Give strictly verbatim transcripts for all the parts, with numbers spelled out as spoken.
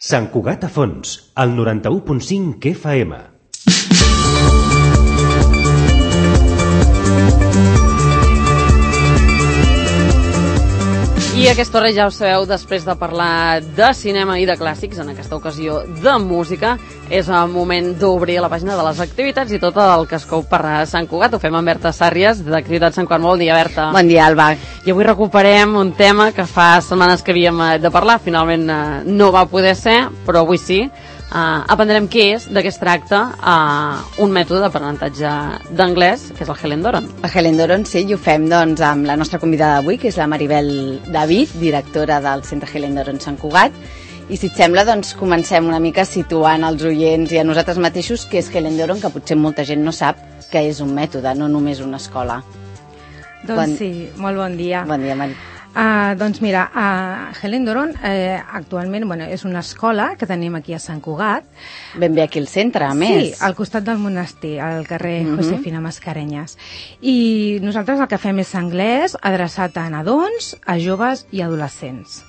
Sant Cugat a Fons, al noranta-u punt cinc F M. I a aquesta hora ja ho sabeu, després de parlar de cinema i de clàssics, en aquesta ocasió de música, és el moment d'obrir la pàgina de les activitats i tot el que es cou per Sant Cugat. Ho fem amb Berta Sàrries, d'Activitats Sant Cugat. Bon dia, Berta. Bon dia, Alba. I avui recuperem un tema que fa setmanes que havíem de parlar. Finalment no va poder ser, però avui sí. Uh, aprendrem què és, de què es tracta, uh, un mètode d'aprenentatge d'anglès, que és el Helen Doron. El Helen Doron, sí, i ho fem doncs, amb la nostra convidada d'avui, que és la Maribel David, directora del Centre Helen Doron Sant Cugat. I si et sembla, doncs, comencem una mica situant als oients i a nosaltres mateixos què és Helen Doron, que potser molta gent no sap que és un mètode, no només una escola. Doncs bon... sí, molt bon dia. Bon dia, Mari. Uh, doncs mira, uh, Helen Doron eh, actualment bueno, és una escola que tenim aquí a Sant Cugat. Ben bé aquí al centre, a més. Sí, al costat del monestir, al carrer uh-huh. Josefina Mascarenyes. I nosaltres el que fem és anglès adreçat a nadons, a joves i adolescents.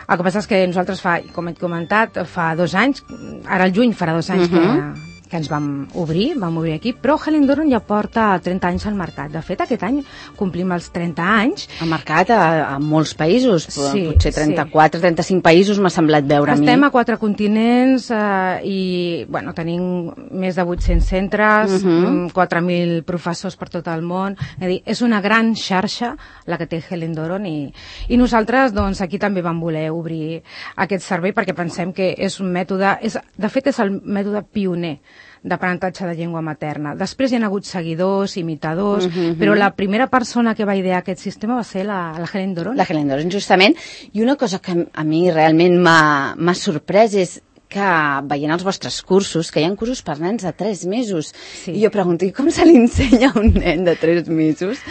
El que passa és que nosaltres fa, com he comentat, fa dos anys, ara al juny farà dos anys uh-huh. que... que ens vam obrir, vam obrir aquí, però Helen Doron ja porta trenta anys al mercat. De fet, aquest any complim els trenta anys. Al mercat a, a molts països, sí, potser trenta-quatre, sí. trenta-cinc països m'ha semblat veure Estem a mi. Estem a quatre continents eh, i bueno, tenim més de vuit-cents centres, uh-huh. quatre mil professors per tot el món. És a dir, és una gran xarxa la que té Helen Doron i, i nosaltres doncs, aquí també vam voler obrir aquest servei perquè pensem que és un mètode, és, de fet és el mètode pioner d'aprenentatge de llengua materna. Després hi ha hagut seguidors, imitadors, uh-huh. però la primera persona que va idear aquest sistema va ser la, la Helen Doron. La Helen Doron, justament. I una cosa que a mi realment m'ha sorprès és que veient els vostres cursos, que hi ha cursos per nens de tres mesos, sí. I jo pregunto, i com se li ensenya a un nen de tres mesos?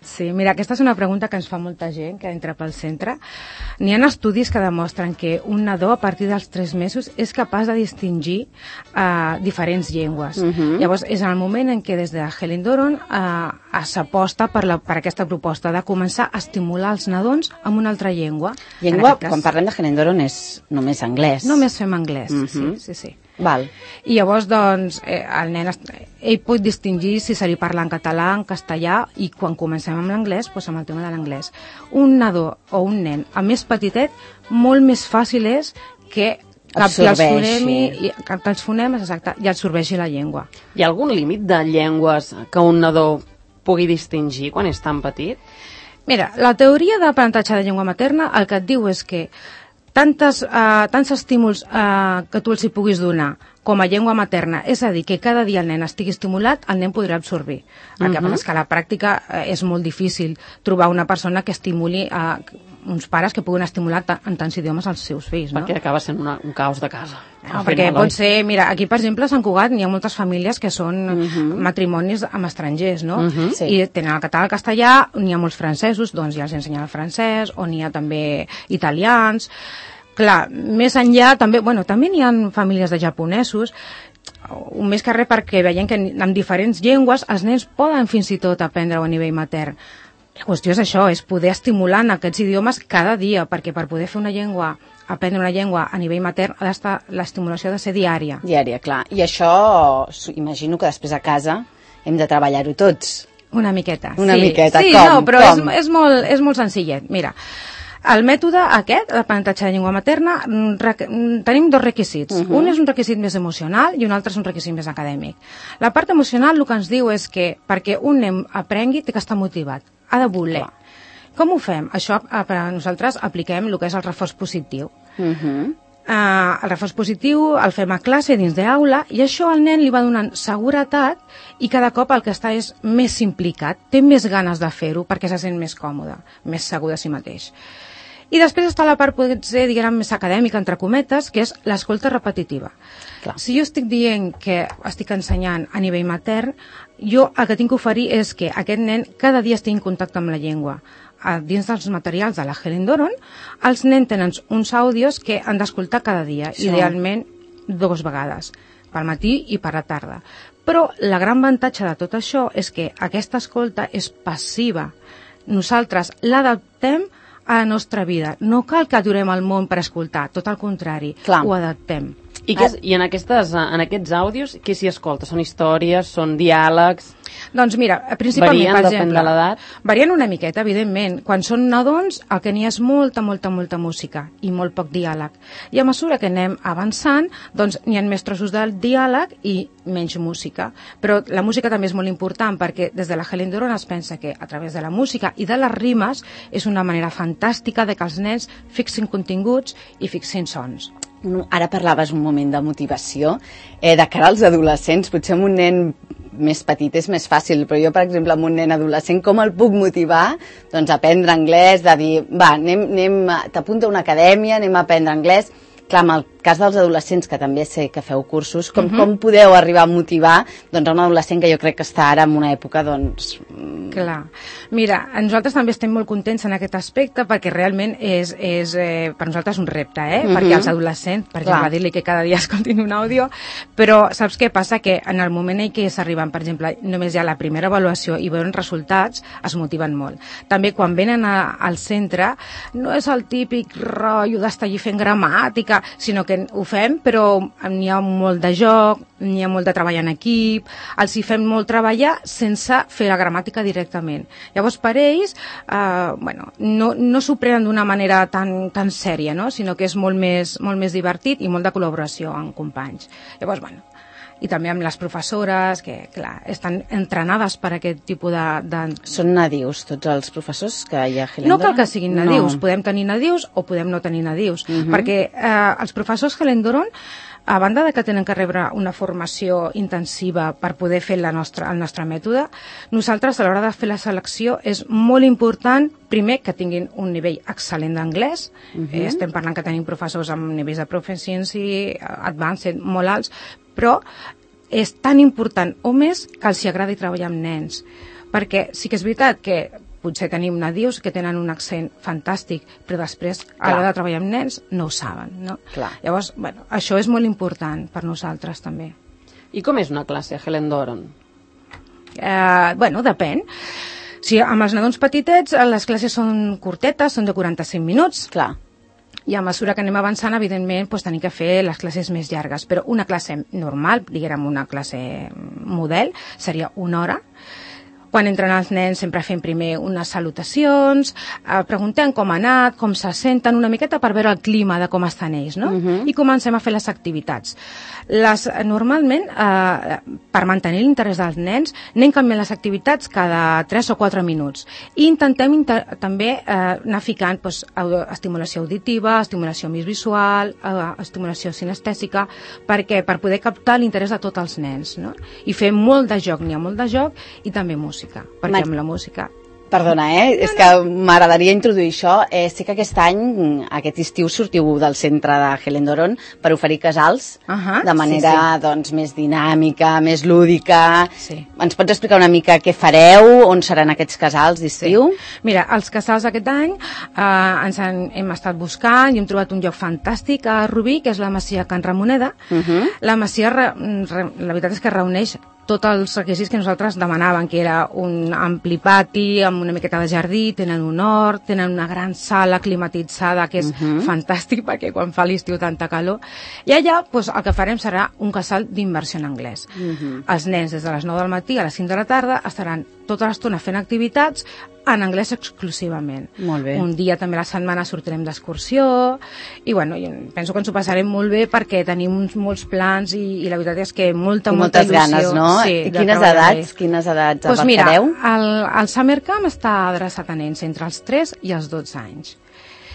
Sí, mira, aquesta és una pregunta que ens fa molta gent que entra pel centre. N'hi ha estudis que demostren que un nadó a partir dels tres mesos és capaç de distingir uh, diferents llengües. Uh-huh. Llavors, és el moment en què des de Helen Doron uh, s'aposta per, la, per aquesta proposta de començar a estimular els nadons amb una altra llengua. Llengua, cas, quan parlem de Helen Doron, és només anglès. Només fem anglès, uh-huh. sí, sí, sí. Val. I llavors, doncs, eh, el nen ell pot distingir si se li parla en català, en castellà, i quan comencem amb l'anglès, doncs amb el tema de l'anglès. Un nadó o un nen, el més petitet, molt més fàcil és que capti els fonemes, capti els fonemes, exacte, i absorbeixi la llengua. Hi ha algun límit de llengües que un nadó pugui distingir quan és tan petit? Mira, la teoria d'aprenentatge de llengua materna el que et diu és que Tantes, uh, tants estímuls uh, que tu els hi puguis donar com a llengua materna, és a dir, que cada dia el nen estigui estimulat, el nen podrà absorbir. El uh-huh. que passa és que a la pràctica uh, és molt difícil trobar una persona que estimuli, uh, uns pares que puguin estimular en tants idiomes als seus fills, no? Perquè acaba sent una, un caos de casa. No, perquè pot ser, mira, aquí per exemple a Sant Cugat n'hi ha moltes famílies que són uh-huh. matrimonis amb estrangers, no? Uh-huh. Sí. I tenen el català, el castellà, n'hi ha molts francesos, doncs ja els ensenyen el francès, o n'hi ha també italians. Clar, més enllà també, bueno, també n'hi ha famílies de japonesos, un més que res perquè veiem que amb diferents llengües els nens poden fins i tot aprendre-ho a nivell matern. La qüestió és això, és poder estimular en aquests idiomes cada dia, perquè per poder fer una llengua, aprendre una llengua a nivell matern, ha d'estar, l'estimulació ha de ser diària. Diària, clar. I això, imagino que després a casa hem de treballar-ho tots. Una miqueta, Una sí. miqueta, sí, com? No, però com? És, és, molt, és molt senzillet. Mira, el mètode aquest, l'aprenentatge de llengua materna, requ... tenim dos requisits. Uh-huh. Un és un requisit més emocional i un altre és un requisit més acadèmic. La part emocional el que ens diu és que perquè un nen aprengui té que estar motivat, ha de voler. Clar. Com ho fem? Això per a nosaltres apliquem el que és el reforç positiu. Uh-huh. Uh, el reforç positiu el fem a classe dins d'aula i això al nen li va donant seguretat i cada cop el que està és més implicat, té més ganes de fer-ho perquè se sent més còmode, més segur de si mateix. I després està la part, potser, diguem, més acadèmica, entre cometes, que és l'escolta repetitiva. Clar. Si jo estic dient que estic ensenyant a nivell matern, jo el que tinc que oferir és que aquest nen cada dia estigui en contacte amb la llengua. Dins dels materials de la Helen Doron, els nens tenen uns àudios que han d'escoltar cada dia, sí. Idealment dues vegades, pel matí i per la tarda. Però la gran avantatge de tot això és que aquesta escolta és passiva. Nosaltres l'adaptem a la nostra vida. No cal que aturem el món per escoltar, tot el contrari, Clar. ho adaptem. I, que, I en, aquestes, en aquests àudios, què s'hi escolta? Són històries, són diàlegs? Doncs mira, principalment, Varien, per depèn exemple, de l'edat? Varien una miqueta, evidentment. Quan són nadons, el que n'hi ha és molta, molta, molta música i molt poc diàleg. I a mesura que anem avançant, doncs n'hi ha més trossos del diàleg i menys música. Però la música també és molt important perquè des de la Helen Doron es pensa que a través de la música i de les rimes és una manera fantàstica de que els nens fixin continguts i fixin sons. Ara parlaves un moment de motivació. Eh, de cara als adolescents, potser amb un nen més petit és més fàcil, però jo, per exemple, amb un nen adolescent, com el puc motivar doncs, a aprendre anglès, de dir, va, anem, anem, t'apunta a una acadèmia, anem a aprendre anglès. Clar, en el cas dels adolescents, que també sé que feu cursos, com, uh-huh. com podeu arribar a motivar doncs, a un adolescent que jo crec que està ara en una època, doncs... Clar. Mira, nosaltres també estem molt contents en aquest aspecte perquè realment és, és eh, per nosaltres un repte, eh? Uh-huh. Perquè els adolescents, per exemple, dir-li que cada dia escoltin un àudio, però saps què passa? Que en el moment en què s'arriben, per exemple, només hi ha la primera avaluació i veuen resultats, es motiven molt. També quan venen a, al centre, no és el típic rotllo d'estar allí fent gramàtica, sinó que ho fem, però n'hi ha molt de joc, n'hi ha molt de treball en equip, els hi fem molt treballar sense fer la gramàtica directament. Llavors, per ells, eh, bueno, no, no s'ho prenen d'una manera tan, tan sèria, no? Sinó que és molt més, molt més divertit i molt de col·laboració amb companys. Llavors, bueno, i també amb les professores, que, clar, estan entrenades per aquest tipus de... de... Són nadius, tots els professors que hi ha a Helen No cal Doron? que siguin nadius, No. podem tenir nadius o podem no tenir nadius, Uh-huh. perquè eh, els professors Helen Doron, a banda de que tenen que rebre una formació intensiva per poder fer la nostra, el nostre mètode, nosaltres a l'hora de fer la selecció és molt important, primer, que tinguin un nivell excel·lent d'anglès. Uh-huh. eh, estem parlant que tenim professors amb nivells de proficiency, advanced, molt alts, però és tan important o més que els hi agradi treballar amb nens. Perquè sí que és veritat que potser tenim nadius que tenen un accent fantàstic, però després, a l'hora de treballar amb nens, no ho saben, no? Clar. Llavors, bueno, això és molt important per nosaltres, també. I com és una classe a Helen Doron? Eh, bueno, depèn. Si amb els nadons petitets les classes són curtetes, són de quaranta-cinc minuts. Clar. I a mesura que anem avançant, evidentment, doncs, tenim que fer les classes més llargues. Però una classe normal, diguem una classe model, seria una hora. Quan entren els nens sempre fem primer unes salutacions, eh, preguntem com ha anat, com se senten, una miqueta per veure el clima de com estan ells, no? Uh-huh. I comencem a fer les activitats. Les, normalment, eh, per mantenir l'interès dels nens, anem canviant les activitats cada tres o quatre minuts. I intentem inter també eh, anar ficant doncs, estimulació auditiva, estimulació més visual, eh, estimulació sinestèsica, perquè per poder captar l'interès de tots els nens, no? I fer molt de joc, n'hi ha molt de joc, i també música. Perquè Mar- amb la música... Perdona, eh? És que m'agradaria introduir això. Eh, sé que aquest any, aquest estiu, sortiu del centre de Helen Doron per oferir casals Uh-huh. de manera Sí, sí. doncs, més dinàmica, més lúdica. Sí. Ens pots explicar una mica què fareu, on seran aquests casals d'estiu? Mira, els casals aquest any eh, ens han, hem estat buscant i hem trobat un lloc fantàstic a Rubí, que és la Masia Can Ramoneda. Uh-huh. La Masia, re, re, la veritat és que reuneix tots els requisits que nosaltres demanàvem, que era un ampli pati amb una miqueta de jardí, tenen un hort, tenen una gran sala climatitzada que és Uh-huh. fantàstic perquè quan fa l'estiu tanta calor. I allà doncs, el que farem serà un casal d'immersió en anglès. Uh-huh. Els nens des de les nou del matí a les cinc de la tarda estaran tota l'estona fent activitats en anglès exclusivament. Molt bé. Un dia també a la setmana sortirem d'excursió i bueno, jo penso que ens ho passarem molt bé perquè tenim uns, molts plans i, i la veritat és que molta, I molta moltes il·lusió. ganes, no? Sí, I de quines treballar edats, bé. quines edats Doncs mira, abarcareu? el, el Summer Camp està adreçat a nens entre els tres i els dotze anys.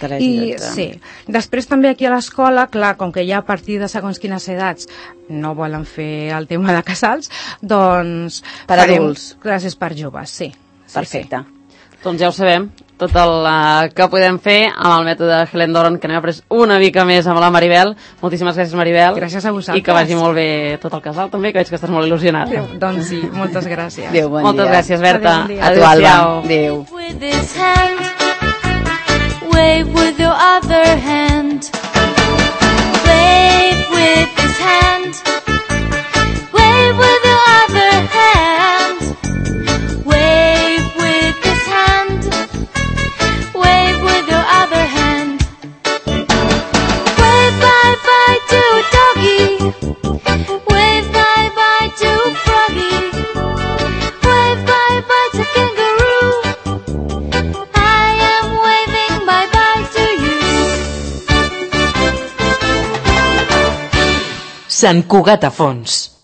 tres i I, dotze. sí. Després també aquí a l'escola, clar, com que ja a partir de segons quines edats no volen fer el tema de casals, doncs Per farem adults. classes per joves, sí. sí Perfecte. Doncs ja ho sabem, tot el uh, que podem fer amb el mètode Helen Doron, que n'hem après una mica més amb la Maribel. Moltíssimes gràcies, Maribel. Gràcies a vosaltres. I que vagi molt bé tot el casal, també, que veig que estàs molt il·lusionat. Sí. Doncs sí, moltes gràcies. Adéu, bon Moltes dia. gràcies, Berta. Adéu, bon dia. A tu, Alba. Adéu-siau. Adéu. With his hand, wave with your other hand. Wave with his hand, wave with your other hand. Wave with his hand, wave with your Sant Cugat a fons.